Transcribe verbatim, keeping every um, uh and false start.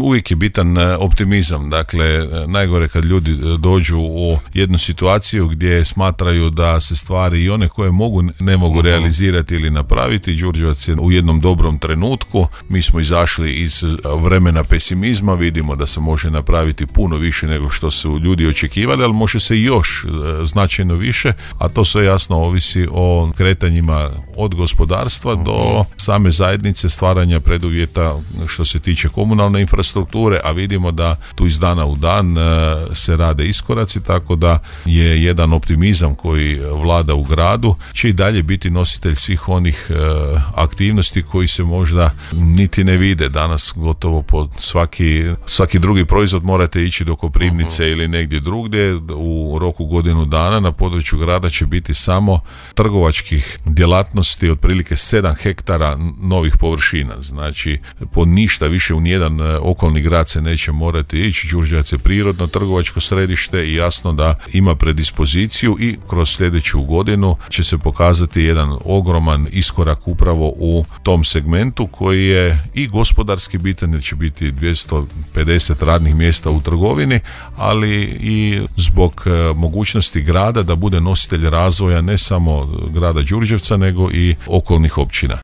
uvijek je bitan optimizam. Dakle, najgore kad ljudi dođu u jednu situaciju gdje smatraju da se stvari i one koje mogu ne mogu uh-huh. realizirati ili napraviti. Đurđevac je u jednom dobrom trenutku. Mi smo izašli iz vremena pesimizma, vidimo da se može napraviti puno više nego što su ljudi očekivali, ali može se još značajno više, a to sve jasno ovisi o kretanjima od gospodarstva uh-huh. do same zajednice, stvaranja preduvjeta što se tiče komunalne infrastrukture, a vidimo da tu iz dana u dan se rade iskoraci, tako da je jedan optimizam koji vlada u gradu, će i dalje biti nositelj svih onih aktivnosti koji se možda niti ne vide. Danas gotovo po svaki, svaki drugi proizvod morate ići do Koprivnice uh-huh. ili negdje drugdje. U roku godinu dana na području grada će biti samo trgovačkih djelatnosti otprilike sedam hektara novih površina. Znači, po ništa više u nijedan okolni grad se neće morati ići. Đurđevac je prirodno trgovačko središte i jasno da ima predispoziciju i kroz sljedeću godinu će se pokazati jedan ogroman iskorak upravo u tom segmentu koji je i gospodarski bitan, jer će biti dvjesto pedeset radnih mjesta u trgovini, ali i zbog mogućnosti grada da bude nositelj razvoja ne samo grada Đurđevca nego i okolnih općina.